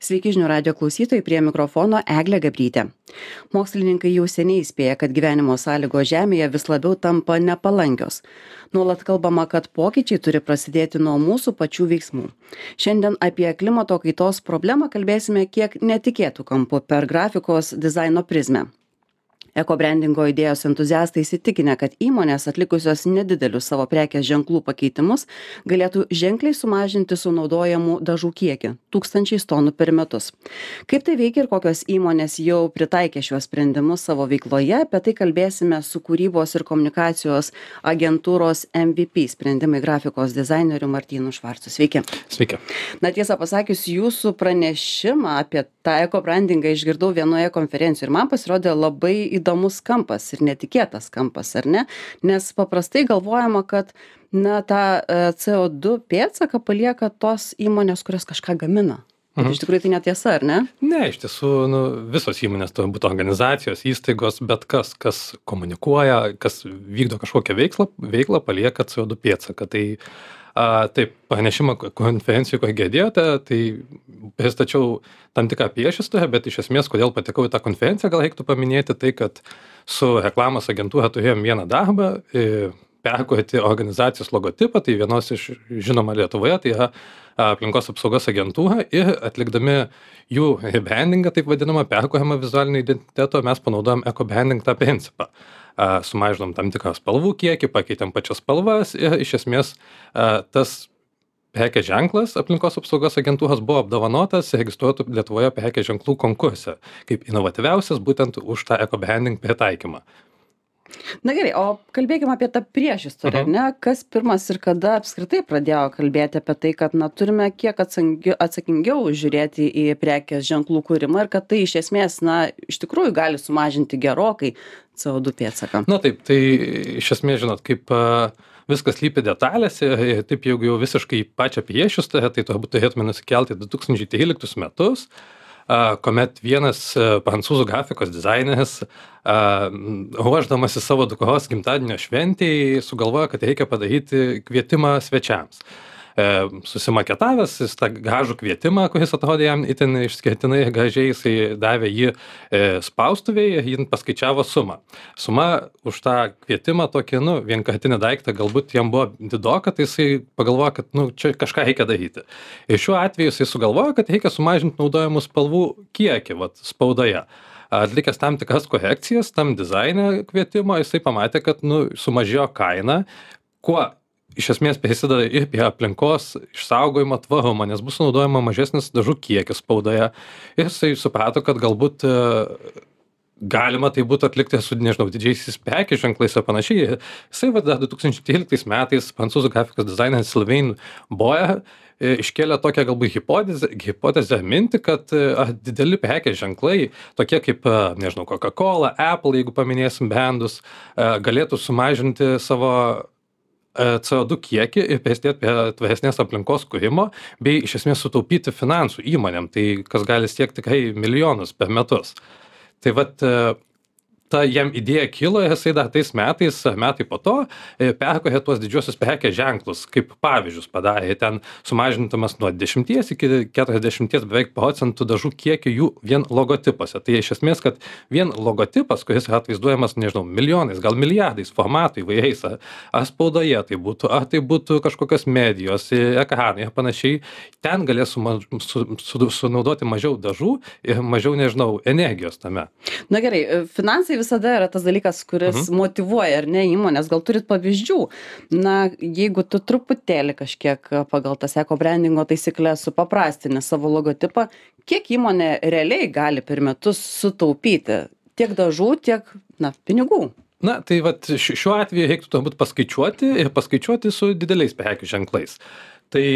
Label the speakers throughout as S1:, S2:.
S1: Sveiki žinių radio klausytojai, prie mikrofono Eglė Gabrytė. Mokslininkai jau seniai įspėja, kad gyvenimo sąlygos Žemėje vis labiau tampa nepalankios. Nuolat kalbama, kad pokyčiai turi prasidėti nuo mūsų pačių veiksmų. Šiandien apie klimato kaitos problemą kalbėsime kiek netikėtų kampų per grafikos dizaino prizmę. Ekobrandingo idėjos entuziastai įsitikinę, kad įmonės atlikusios nedidelius savo prekės ženklų pakeitimus galėtų ženkliai sumažinti sunaudojamų dažų kiekį - 1000 tonų per metus. Kaip tai veikia ir kokios įmonės jau pritaikė šiuos sprendimus savo veikloje, apie tai kalbėsime su kūrybos ir komunikacijos agentūros MVP sprendimai grafikos dizaineriu Martynu Švarcu. Sveiki.
S2: Sveiki.
S1: Na, tiesą pasakius, jūsų pranešimą apie tą ekobrandingą išgirdau vienoje konferencijoje ir man pasirodė labai įdomus kampas ir netikėtas kampas, ar ne? Nes paprastai galvojama, kad tą CO2 pėdsaką palieka tos įmonės, kurios kažką gamina. Bet iš tikrųjų tai netiesa, ar ne?
S2: Ne, iš tiesų, visos įmonės, to būtų organizacijos, įstaigos, bet kas komunikuoja, kas vykdo kažkokią veiklą palieka CO2 pėdsaką. Taip, pranešimą konferencijų, ko girdėjote, tai pristačiau tam tikrą priešistorę, bet iš esmės, kodėl patekau į tą konferenciją, gal reiktų paminėti tai, kad su reklamos agentūra turėjom vieną darbą, perkurti organizacijos logotipą, tai vienos iš žinoma Lietuvoje, tai yra aplinkos apsaugos agentūra, ir atlikdami jų rebrandingą, taip vadinamą, perkuriamą vizualinį identitetą, mes panaudojom ekobranding tą principą. Sumažinom tam tikrą spalvų kiekį, pakeitėm pačias spalvas ir iš esmės tas prekės ženklas aplinkos apsaugos agentūros buvo apdovanotas registruotų Lietuvoje prekės ženklų konkurse kaip inovatyviausias būtent už tą ekobranding pritaikymą.
S1: Na gerai, o kalbėkime apie tą priešistorę, ne? Kas pirmas ir kada apskritai pradėjo kalbėti apie tai, kad turime kiek atsakingiau žiūrėti į prekės ženklų kūrimą ir kad tai iš esmės, iš tikrųjų gali sumažinti gerokai CO2 pėdsaką.
S2: Na taip, tai iš esmės, žinot, kaip viskas lypi detalėse, taip jeigu jau visiškai pačią priešistorę, tai turbūt turėtume nusikelti 2013 metus, kuomet vienas prancūzų grafikos dizaineris, ruošdamasi savo dukros gimtadienio šventei, sugalvojo, kad reikia padaryti kvietimą svečiams. Susimaketavęs jis tą gražų kvietimą, kuris atrodė jam itin išskirtinai gražiai, jisai davė jį spaustuvėje, jį paskaičiavo sumą. Suma už tą kvietimą tokį, vienkartinį daiktą, galbūt jam buvo didoka, tai jisai pagalvojo, kad čia kažką reikia daryti. Ir šiuo atveju jisai sugalvojo, kad reikia sumažinti naudojamų spalvų kiekį spaudoje. Atlikęs tam tikras korekcijas tam dizaine kvietimo, jisai pamatė, kad sumažėjo kaina, kuo iš esmės prisideda ir prie aplinkos išsaugojimo tvarumo, nes bus naudojama mažesnis dažų kiekis spaudoje. Ir jisai suprato, kad galbūt galima tai būtų atlikti su, didžiaisiais prekės ženklais ir panašiai. Jisai 2013 metais prancūzų grafikos dizaineris Sylvain Boyer iškėlė tokią galbūt hipotezę mintį, kad dideli prekės ženklai, tokie kaip, Coca-Cola, Apple, jeigu paminėsim brandus, galėtų sumažinti savo CO2 kiekį ir prisidėti prie tvaresnės aplinkos kūrimo, bei iš esmės sutaupyti finansų įmonėm, tai kas gali siekti tikrai milijonus per metus. Tai ta jam idėja kilo ir jisai dar tais metai po to perkūrė tuos didžiosius prekės ženklus, kaip pavyzdžius padarė, ten sumažintamas nuo 10 iki 40 beveik procentų dažų kiekį jų vien logotipuose. Tai iš esmės, kad vien logotipas, kuris yra atvaizduojamas, milijonais, gal milijardais formatų įvairiais, ar spaudoje tai būtų kažkokios medijos, ekranai ir panašiai, ten galės sunaudoti mažiau dažų ir mažiau, energijos tame.
S1: Na gerai, finansai visada yra tas dalykas, kuris motyvuoja, ar ne, įmonės. Gal turit pavyzdžių? Jeigu tu truputėlį kažkiek pagal tas ekobrandingo taisyklės supaprastini savo logotipą, kiek įmonė realiai gali per metus sutaupyti? Tiek dažų, tiek, pinigų.
S2: Tai šiuo atveju reiktų turbūt paskaičiuoti su dideliais prekių ženklais. Tai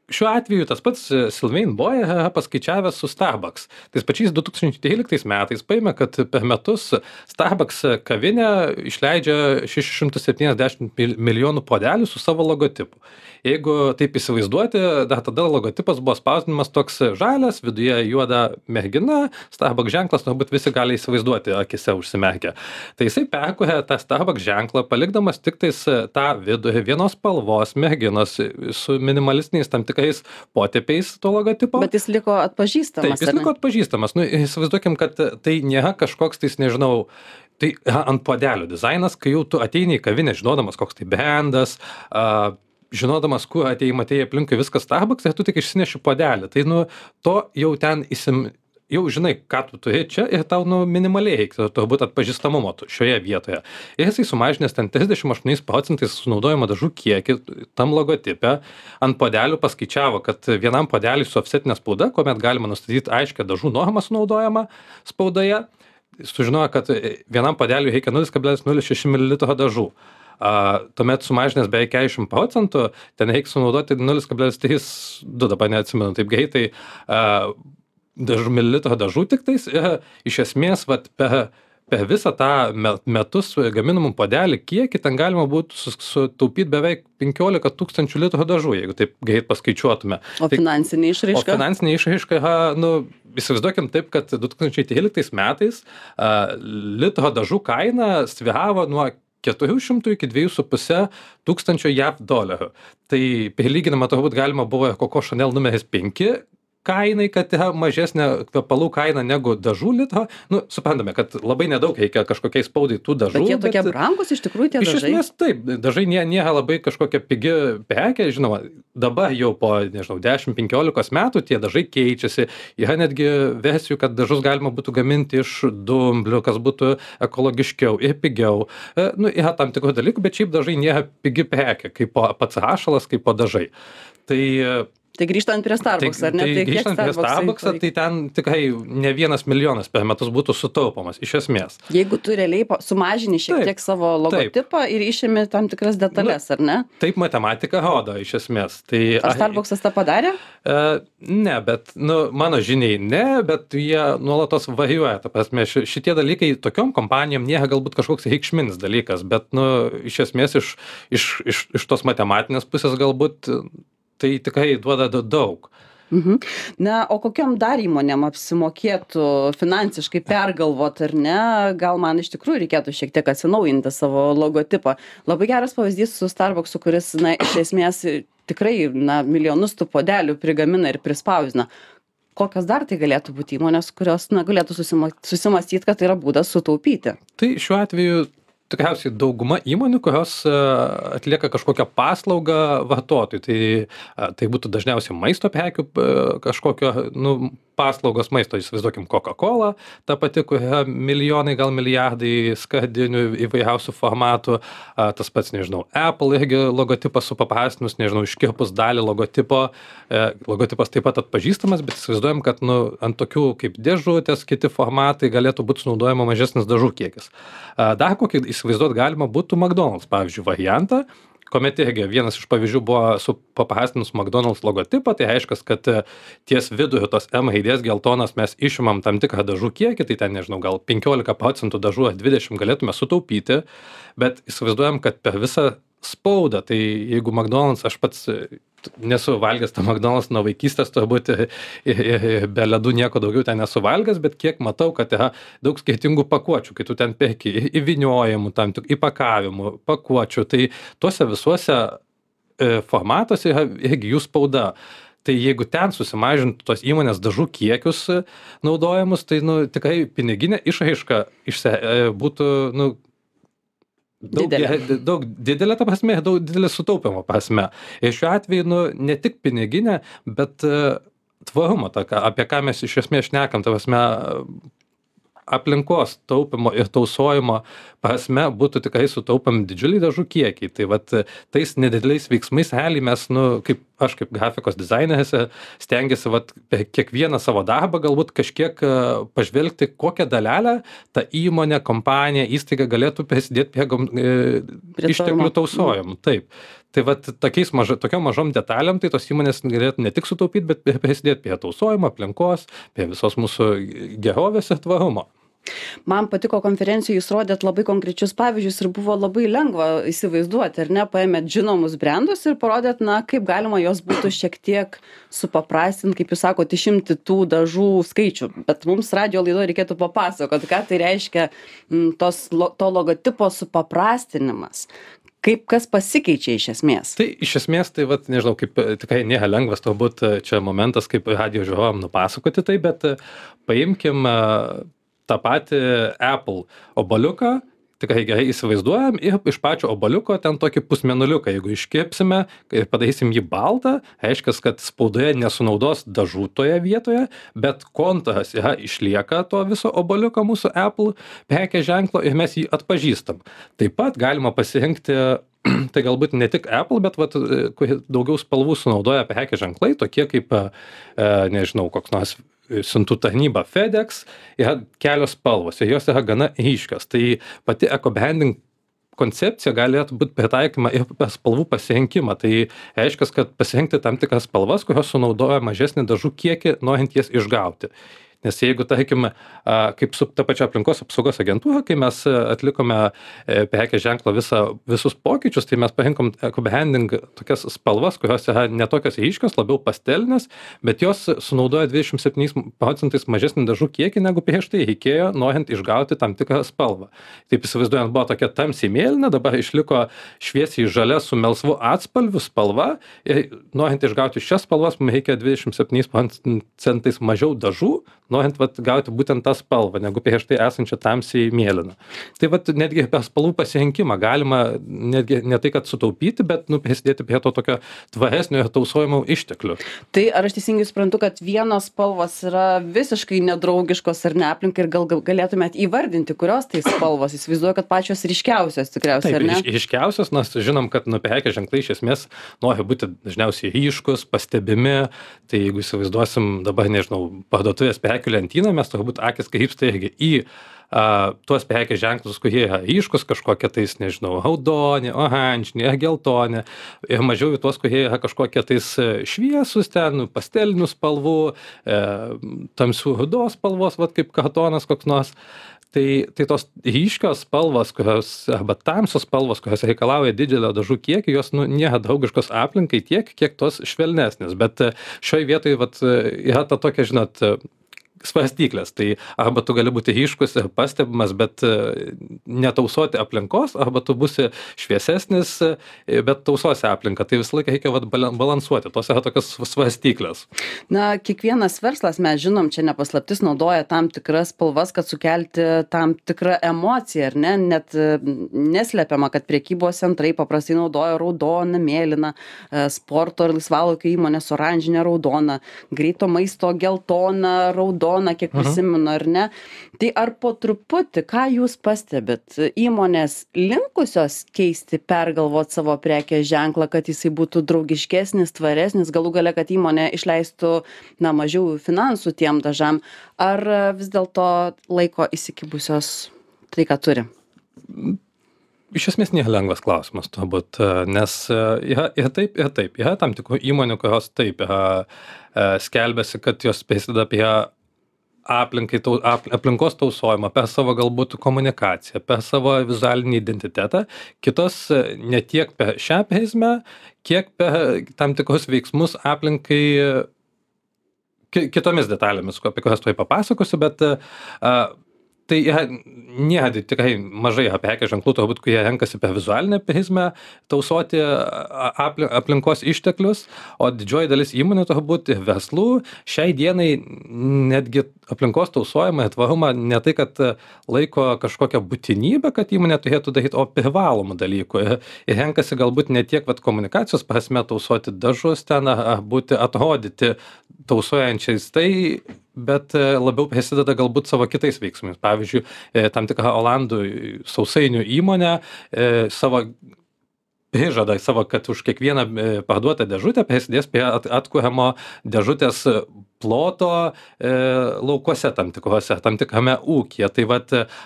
S2: šiuo atveju tas pats Sylvain Boyer paskaičiavęs su Starbucks. Tais pačiais 2013 metais paėmė, kad per metus Starbucks kavinė išleidžia 670 milijonų puodelių su savo logotipu. Jeigu taip įsivaizduoti, dar tada logotipas buvo spausdinimas toks žalias, viduje juoda mergina, Starbucks ženklas, turbūt visi gali įsivaizduoti, akise užsimerkę. Tai jisai perkūrė tą Starbucks ženklą, palikdamas tik tais tą vidurį vienos spalvos merginos su minimalistiniais tam tikrais tikrais potėpiais to logotipo.
S1: Bet jis liko atpažįstamas.
S2: Taip, jis liko atpažįstamas. Nu, įsivaizduokim, kad tai nėra kažkoks, tai nežinau, tai ant puodelių dizainas, kai jau tu ateini į kavinę, žinodamas, koks tai brandas, žinodamas, kur atėjai aplinkui viskas Starbucks, ir tu tik išsineši puodelį. Tai, nu, to jau ten jau žinai, ką tu turi čia ir tau, nu, minimaliai reikia turbūt atpažįstamumo šioje vietoje. Ir jisai sumažinęs ten 38% sunaudojimo dažų kiekį tam logotipe, ant puodelių paskaičiavo, kad vienam puodeliui su offsetinė spauda, kuomet galima nustatyti aiškę dažų normą sunaudojama spaudoje, sužinojo, kad vienam puodeliui reikia 0,06 ml dažų. Tuomet sumažinęs beveik 40%, ten reikia sunaudoti 0,32, dabar neatsimenu taip greitai, mililitro dažų tiktais. Iš esmės, vat, per visą tą metus gaminamų puodelį kiekį ten galima būtų sutaupyti beveik 15 000 litrų dažų, jeigu taip greit paskaičiuotume.
S1: O finansinė išraiška?
S2: O finansinė išraiška, nu, įsivaizduokim taip, kad 2013 metais litro dažų kaina svyravo nuo 400 iki 2,5 tūkstančio JAV dolerių. Tai prilyginama turbūt galima buvo Coco Chanel numeris 5 kainai, kad yra mažesnė kvepalų kaina negu dažų litro. Nu, suprantame, kad labai nedaug reikia kažkokiai spaudai tų dažų.
S1: Bet jie tokie brangus iš tikrųjų tie dažai?
S2: Iš esmės taip, dažai nėra labai kažkokia pigi prekė, žinoma, dabar jau po, nežinau, 10-15 metų tie dažai keičiasi. Yra netgi versijų, kad dažus galima būtų gaminti iš dumblių, kas būtų ekologiškiau ir pigiau. Nu, yra tam tikrų dalykų, bet šiaip dažai nėra pigi prekė, kaip pats rašalas, kaip dažai.
S1: Tai grįžtant prie Starbucks, ar ne?
S2: Tai grįžtant prie Starbucks, tai ten tikrai ne 1 milijonas per metus būtų sutaupomas, iš esmės.
S1: Jeigu tu realiai sumažini šiek tiek savo logotipą ir išimi tam tikras detalės, ar ne?
S2: Taip matematika rodo, iš esmės.
S1: Ar Starbucksas tą padarė?
S2: Ne, bet, nu, mano žiniai ne, bet jie nuolatos varijuoja. Ta prasme, šitie dalykai tokiom kompanijom nėra galbūt kažkoks reikšminis dalykas, bet, nu, iš esmės iš tos matematinės pusės galbūt tai tikrai duoda daug.
S1: Na, o kokiom dar įmonėm apsimokėtų finansiškai pergalvot, ar ne? Gal man iš tikrųjų reikėtų šiek tiek atsinaujinti savo logotipą. Labai geras pavyzdys su Starbucksu, kuris, na, iš esmės tikrai, na, milijonus tų puodelių prigamina ir prispausdina. Kokios dar tai galėtų būti įmonės, kurios, na, galėtų susimastyti, kad tai yra būdas sutaupyti?
S2: Tai šiuo atveju tikriausiai dauguma įmonių, kurios atlieka kažkokią paslaugą vartotojui. Tai būtų dažniausiai maisto prekių kažkokio, nu, paslaugos maisto, įsivaizduokim Coca-Cola, ta pati, kur yra milijonai, gal milijardai skardinių įvairiausių formatų, tas pats, nežinau, Apple irgi logotipas supaprastinus, nežinau, iškirpus dalį logotipo, logotipas taip pat atpažįstamas, bet įsivaizduojam, kad, nu, ant tokių kaip dėžutės, kiti formatai galėtų būti sunaudojama mažesnis dažų kiekis. Dar kokį įsivaizduot galima būtų McDonald's, pavyzdžiui, variantą, kuomet irgi vienas iš pavyzdžių buvo supaprastinus McDonald's logotipą, tai reiškia, kad ties viduriu tos M raidės geltonas mes išimam tam tikrą dažų kiekį, tai ten, nežinau, gal 15% dažų ar 20% galėtume sutaupyti, bet įsivaizduojam, kad per visą spaudą, tai jeigu McDonald's, aš pats nesu valgęs tą McDonald's nuo vaikystės, turbūt be ledų nieko daugiau ten nesu valgęs, bet kiek matau, kad yra daug skirtingų pakuočių, kai tu ten perki įvyniojimų, tam tik įpakavimų, pakuočių, tai tuose visuose formatuose yra irgi jų spauda. Tai jeigu ten susimažintų tos įmonės dažų kiekius naudojamus, tai, nu, tikrai piniginė išraiška būtų, nu, daug didelė ta prasme, daug didelė sutaupimo prasme. Ir šiuo atveju, nu, ne tik piniginė, bet tvarumo, apie ką mes iš esmės šnekam, ta prasme, aplinkos taupimo ir tausojimo prasme būtų tikrai sutaupami didžiuliai dažų kiekiai. Tai vat tais nedideliais veiksmais realiai mes, nu, aš kaip grafikos dizaineris stengiasi vat per kiekvieną savo darbą galbūt kažkiek pažvelgti, kokią dalelę ta įmonė, kompanija, įstaiga galėtų prisidėti prie išteklių tausojimų. Taip. Tai vat tokiom mažom detalėm, tai tos įmonės galėtų ne tik sutaupyti, bet prisidėti prie tausojimo, aplinkos, prie visos mūsų gerovės ir tvarumo.
S1: Man patiko konferencijoje, jūs rodėt labai konkrečius pavyzdžius ir buvo labai lengva įsivaizduoti, ar ne, paėmėt žinomus brandus ir parodėt, na, kaip galima jos būtų šiek tiek supaprastinti, kaip jūs sakote, išimti tų dažų skaičių. Bet mums radijo laidoje reikėtų papasakoti, ką tai reiškia to logotipo supaprastinimas. Kaip kas pasikeičia iš esmės?
S2: Tai iš esmės, tai vat, nežinau, kaip tikrai nėra lengvas turbūt čia momentas, kaip radijo žiūrovam nupasakoti tai, bet paimkim tą patį Apple obaliuką, tikrai gerai įsivaizduojam ir iš pačio obaliuko ten tokį pusmėnuliuką, jeigu iškepsime ir padarysim jį baltą, reiškia, kad spaudoje nesunaudos dažų toje vietoje, bet kontūras išlieka to viso obaliuko mūsų Apple prekės ženklo ir mes jį atpažįstam. Taip pat galima pasirinkti, tai galbūt ne tik Apple, bet vat, daugiau spalvų sunaudoja prekės ženklai, tokie kaip, nežinau, koks nors siuntų tarnyba FedEx, yra kelios spalvos ir jos yra gana ryškios. Tai pati eco-branding koncepcija galėtų būti pritaikoma ir per spalvų pasirinkimą. Tai reiškia, kad pasirinkti tam tikras spalvas, kurios sunaudoja mažesnį dažų kiekį, norint jas išgauti. Nes jeigu, tarkim, kaip su ta pačia aplinkos apsaugos agentūra, kai mes atlikome prekės ženklo visus pokyčius, tai mes parinkom eco-branding tokias spalvas, kurios yra netokios ryškios, labiau pastelinės, bet jos sunaudoja 27% mažesnį dažų kiekį, negu prieš tai reikėjo, norint išgauti tam tikrą spalvą. Taip įsivaizduojant, buvo tokia tamsiai mėlyna, dabar išliko šviesiai žalia su melsvu atspalviu spalva ir norint išgauti šias spalvas, mums reikia 27% mažiau dažų, norint gauti būtent tą spalvą, negu prieš tai esančią tamsiai mėlyną. Tai netgi per spalvų pasirinkimą galima netgi ne tai, kad sutaupyti, bet prisidėti prie to tokio tvaresnio ir tausojimo išteklių.
S1: Tai ar aš teisingai suprantu, kad vienos spalvos yra visiškai nedraugiškos ar ne aplinkai ir gal galėtumėt įvardinti, kurios tai spalvos? Įsivaizduoju, kad pačios ryškiausios tikriausiai, ar ne?
S2: Taip, ryškiausios, nes žinom, kad prekės ženklai iš esmės nori būti dažniausiai ryškus, pastebimi. Tai jeigu įsivaizduosim dabar, nežinau, parduotuvės prekių lentyną, mes turbūt akis krypsta irgi į tuos prekės ženklus, kurie yra ryškus, kažkokie tais, nežinau, raudoni, oranžiniai, geltoni, ir mažiau į tuos, kurie yra kažkokie tais šviesus ten, pastelinių spalvų, tamsių rudos spalvos, kaip kartonas koks nors. Tai tos ryškios spalvos, arba tamsios spalvos, kurios reikalauja didelio dažų kiekį, jos nėra draugiškos aplinkai tiek, kiek tos švelnesnės. Bet šioje vietoje yra ta tokia, žinot, svarstyklės. Tai arba tu gali būti ryškus ir pastebimas, bet netausoti aplinkos, arba tu būsi šviesesnis, bet tausosi aplinką. Tai visą laiką reikia balansuoti. Tos yra tokios svarstyklės.
S1: Na, kiekvienas verslas, mes žinom, čia nepaslaptis, naudoja tam tikras spalvas, kad sukelti tam tikrą emociją, ar ne? Net neslepiama, kad prekybos centrai paprastai naudoja raudoną, mėlyną, sporto ir laisvalaikio įmonės oranžinę, raudoną, greito maisto geltoną, raudoną, kiek prisimenu, ar ne? Tai ar po truputį, ką jūs pastebit, įmonės linkusios keisti, pergalvoti savo prekės ženklą, kad jisai būtų draugiškesnis, tvaresnis, galų gale, kad įmonė išleistų mažiau finansų tiem dažam, ar vis dėlto laiko įsikibusios tai, ką turi?
S2: Iš esmės nėra lengvas klausimas, turbūt, nes yra ir taip, ir taip. Yra tam tikrų įmonių, kurios taip skelbiasi, kad jos prisideda prie aplinkos tausojimą per savo galbūt komunikaciją, per savo vizualinį identitetą, kitos ne tiek per šią prizmę, kiek per tam tikrus veiksmus aplinkai kitomis detalėmis, apie kurias tuoj papasakosiu, bet tai nėra tikrai mažai prekės ženklų, turbūt, kurie renkasi per vizualinę prizmę tausoti aplinkos išteklius, o didžioji dalis įmonių turbūt ir verslų šiai dienai netgi aplinkos tausojimą ir tvarumą ne tai, kad laiko kažkokią būtinybę, kad įmonė turėtų daryti, o privalomų dalykų. Ir renkasi galbūt ne tiek komunikacijos prasme tausoti dažus ten, ar atrodyti tausojančiais, bet labiau prisideda galbūt savo kitais veiksmais. Pavyzdžiui, tam tikrą Olandų sausainių įmonę savo prižada, kad už kiekvieną parduotą dėžutę prisidės prie atkuriamo dėžutės ploto laukuose tam tikrose, tam tikrame ūkyje. Tai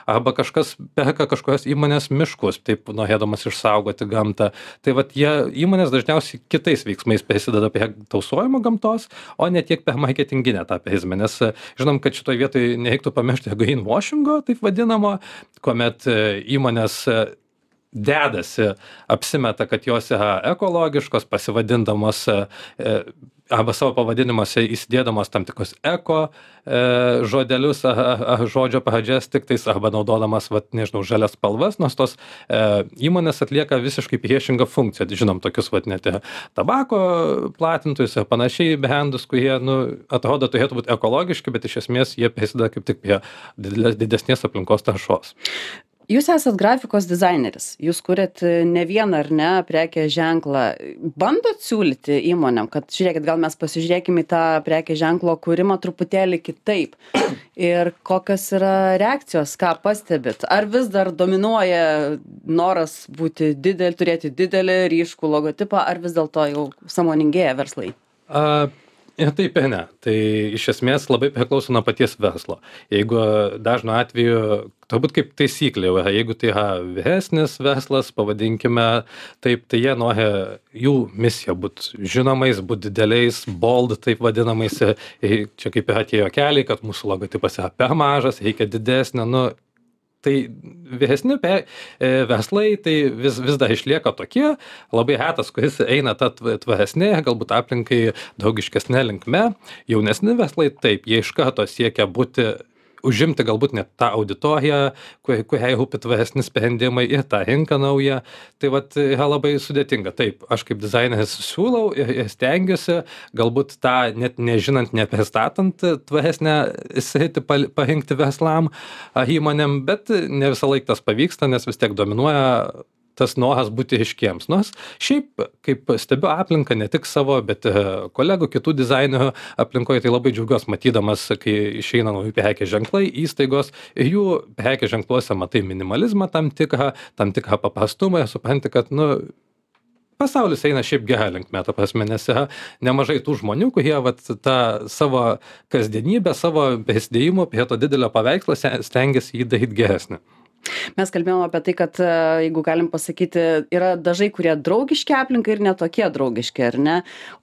S2: arba kažkas perka kažkokios įmonės miškus, taip norėdamas išsaugoti gamtą. Tai įmonės dažniausiai kitais veiksmais prisideda prie tausojimo gamtos, o ne tiek per marketinginę tą prizmę. Nes žinom, kad šitoje vietoje nereiktų pamiršti greenwashingo, taip vadinamo, kuomet įmonės apsimeta, kad jos yra ekologiškos, pasivadindamos arba savo pavadinimuose įsidėdamos tam tikrus eko žodelius, žodžio pradžias tiktais, arba naudodamas, vat, nežinau, žalias spalvas, nors tos įmonės atlieka visiškai priešingą funkciją. Žinom, tokius, vat, net tabako platintojus ir panašiai brandus, kurie, nu, atrodo, turėtų būti ekologiški, bet iš esmės jie prisideda kaip tik prie didesnės aplinkos taršos.
S1: Jūs esat grafikos dizaineris, jūs kuriat ne vieną ar ne prekės ženklą. Bandot siūlyti įmonėm, kad žiūrėkit, gal mes pasižiūrėkime į tą prekės ženklo kūrimą truputėlį kitaip. Ir kokios yra reakcijos, ką pastebit? Ar vis dar dominuoja noras būti turėti didelį ryškų logotipą, ar vis dėlto jau sąmoningėja verslai?
S2: Ir taip ir ne. Tai iš esmės labai priklauso nuo paties verslo. Jeigu dažnu atveju, turbūt kaip taisyklė, jeigu tai yra vyresnis verslas, pavadinkime taip, tai jie nori jų misija būti žinomais, būti dideliais, bold, taip vadinamais. Čia kaip yra tie juokeliai, kad mūsų logotipas yra per mažas, reikia didesnio. Nu, tai vyresni verslai tai vis dar išlieka tokie, labai retas, kuris eina tą tvaresnė, galbūt aplinkai draugiškesnė linkme. Jaunesni verslai taip, jie iš karto siekia užimti galbūt net tą auditoriją, kuriai rūpi tvaresni sprendimai ir tą rinką naują. Tai vat yra labai sudėtinga. Taip, aš kaip dizaineris siūlau ir stengiuosi, galbūt tą net nežinant, nepristatant tvaresnę sritį parinkti verslam ar įmonėm, bet ne visą laiką tas pavyksta, nes vis tiek dominuoja tas noras būti ryškiems. Nors šiaip, kaip stebiu aplinką, ne tik savo, bet kolegų, kitų dizainerių aplinkoje, tai labai džiaugiuosi matydamas, kai išeina nauji prekės ženklai, įstaigos, ir jų prekės ženkluose matai minimalizmą tam tikrą paprastumą, ir supranti, kad, nu, pasaulis eina šiaip gerą linkme, ta prasme, nes yra nemažai tų žmonių, kurie vat, tą savo kasdienybę, savo prisidėjimų prie to didelio paveikslo stengiasi jį daryti geresnį.
S1: Mes kalbėjome apie tai, kad, jeigu galim pasakyti, yra dažai, kurie draugiški aplinkai ir netokie draugiški, ar ne?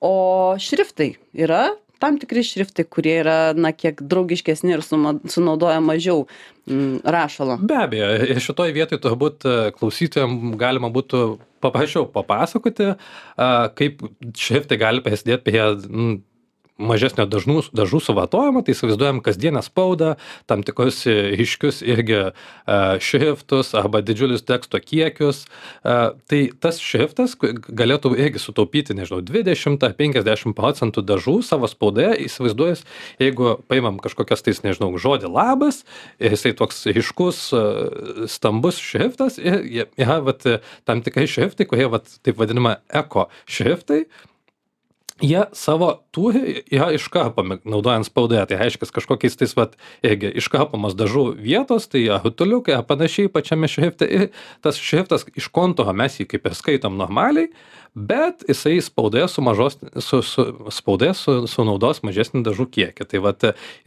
S1: O šriftai yra tam tikri šriftai, kurie yra, na, kiek draugiškesni ir sunaudoja mažiau rašalo.
S2: Be abejo, ir šitoj vietoj turbūt klausytojams galima būtų paprašiau papasakoti, kaip šriftai gali prisidėti prie mažesnio dažų suvartojimo, tai įsivaizduojam kasdienę spaudą, tam tikrus ryškius irgi šriftus arba didžiulius teksto kiekius. Tai tas šriftas galėtų irgi sutaupyti, nežinau, 20 ar 50% dažų savo spaudoje. Įsivaizduojas, jeigu paimam kažkokias tais, nežinau, žodį labas, ir jisai toks ryškus, stambus šriftas, ir yra tam tikrai šriftai, kurie taip vadinama eko šriftai. Jie savo turi yra iškarpomi, naudojant spaudoje, tai reiškia kažkokiais tais irgi iškarpomos dažų vietos, tai rutuliukai, panašiai pačiame šrifte, ir tas šriftas iš kontūro mes jį kaip ir skaitom normaliai, bet jisai spaudoje sunaudos mažesnį dažų kiekį. Tai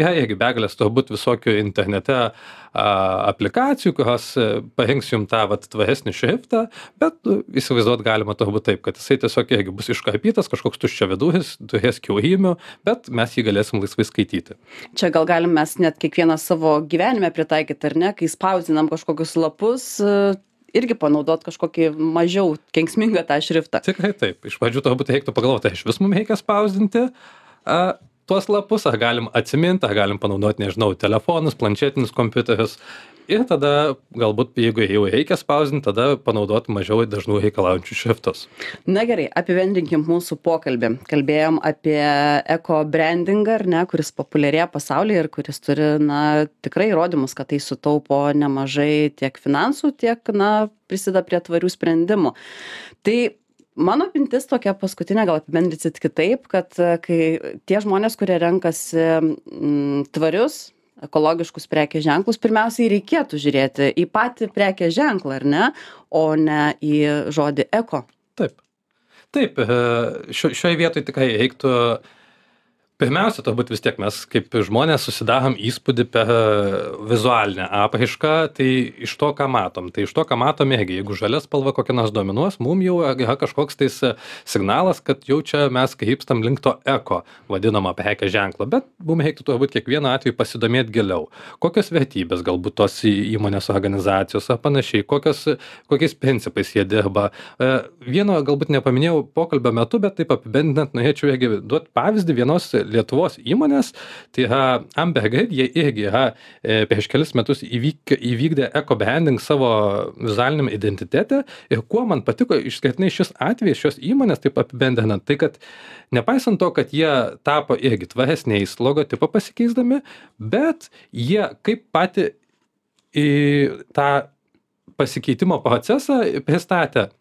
S2: yra irgi begalės turbūt visokių internete aplikacijų, kurios parinks jums tą tvaresnį šriftą, bet įsivaizduot galima turbūt taip, kad jisai tiesiog irgi bus iškarpytas, kažkoks tuščiavidūris, turės kiaurymų, bet mes jį galėsim laisvai skaityti.
S1: Čia gal galim mes net kiekvieną savo gyvenime pritaikyti, ar ne, kai spausdinam kažkokius lapus, irgi panaudot kažkokį mažiau kenksmingą tą šriftą.
S2: Tikrai taip. Iš pradžių turbūt reiktų pagalvoti, iš vis mums reikia spausdinti tuos lapus, ar galim atsiminti, ar galim panaudoti, nežinau, telefonus, planšetinius kompiuterius. Ir tada galbūt, jeigu jau reikia spausdinti, tada panaudoti mažiau dažnų reikalaujančių šriftus.
S1: Na gerai, apibendrinkim mūsų pokalbį. Kalbėjom apie eko-brandingą, ar ne, kuris populiarėja pasaulyje ir kuris turi, na, tikrai įrodymus, kad tai sutaupo nemažai tiek finansų, tiek, na, prisideda prie tvarių sprendimų. Tai mano mintis tokia paskutinė, gal apibendrinsit kitaip, kad kai tie žmonės, kurie renkasi tvarius, ekologiškus prekės ženklus, pirmiausiai reikėtų žiūrėti į patį prekės ženklą, ar ne, o ne į žodį eko.
S2: Taip. Taip, šioje vietoje tikrai reiktų Pirmiausia, turbūt vis tiek mes kaip žmonės susidarom įspūdį per vizualinę apraišką, tai iš to, ką matom. Tai iš to, ką matom, jeigu žalia spalva kokia nors dominuos, mum jau yra kažkoks tais signalas, kad jau čia mes krypstam link to eko vadinamo prekės ženklo. Bet mum reiktų turbūt kiekvieną atveju pasidomėti giliau. Kokios vertybės galbūt tos įmonės organizacijos ar panašiai, kokiais principais jie dirba. Vieno galbūt nepaminėjau pokalbio metu, bet taip apibendrinant norėčiau duoti pavyzdį vienos Lietuvos įmonės, tai yra Ambergrid, jie irgi yra prieš kelis metus įvykdė eco-branding savo vizualiniam identitete ir kuo man patiko išskirtinai šis atvejis šios įmonės, taip apibendrinant, tai kad nepaisant to, kad jie tapo irgi tvaresniais logotipą pasikeisdami, bet jie kaip patį į tą pasikeitimo procesą pristatė.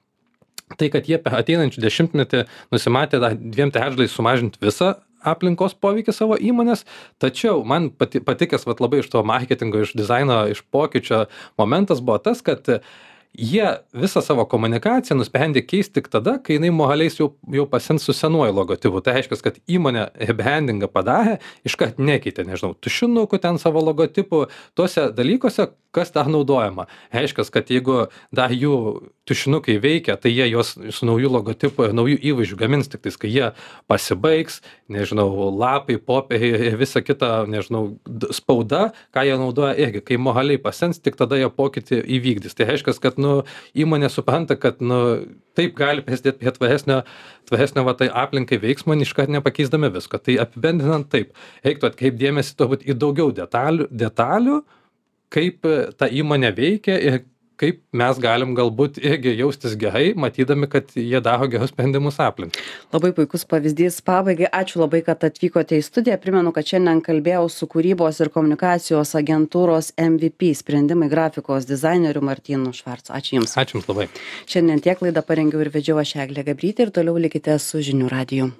S2: Tai, kad jie per ateinančių dešimtmetį nusimatė 2/3 sumažinti visą aplinkos poveikį savo įmonės, tačiau man patikęs labai iš to marketingo, iš dizaino, iš pokyčio momentas buvo tas, kad jie visą savo komunikaciją nusprendė keisti tik tada, kai jinai moraliais jau pasens su senuoju logotipu. Tai reiškia, kad įmonė rebrandingą padarė, iškart nekeitė, nežinau, tušinukų ten savo logotipų, tuose dalykuose, kas dar naudojama. Reiškia, kad jeigu dar jų tušinukai veikia, tai jie juos su naujų logotipu ir naujų įvaizdžių gamins tik tais, kai jie pasibaigs, nežinau, lapai, popieriai ir visa kita, nežinau, spauda, ką jie naudoja irgi, kai moraliai pasens, tik tada jie pokytį įvykdys. Tai reiškia, kad įmonė supranta, kad taip gali prisidėti prie tvaresnio tai aplinkai veiksmo, iškart nepakeisdami visko. Tai apibendrinant taip, reiktų atkreipti dėmesį turbūt į daugiau detalių, kaip ta įmonė veikia ir kaip mes galim galbūt irgi jaustis gerai, matydami, kad jie daro gerus sprendimus aplinkai.
S1: Labai puikus pavyzdys pabaigai. Ačiū labai, kad atvykote į studiją. Primenu, kad šiandien kalbėjau su kūrybos ir komunikacijos agentūros MVP sprendimai grafikos dizaineriu Martynu Švarcu. Ačiū Jums.
S2: Ačiū Jums labai.
S1: Šiandien tiek laidą parengiau ir vedžiau aš Eglė Gabrytė ir toliau likite su Žinių radiju.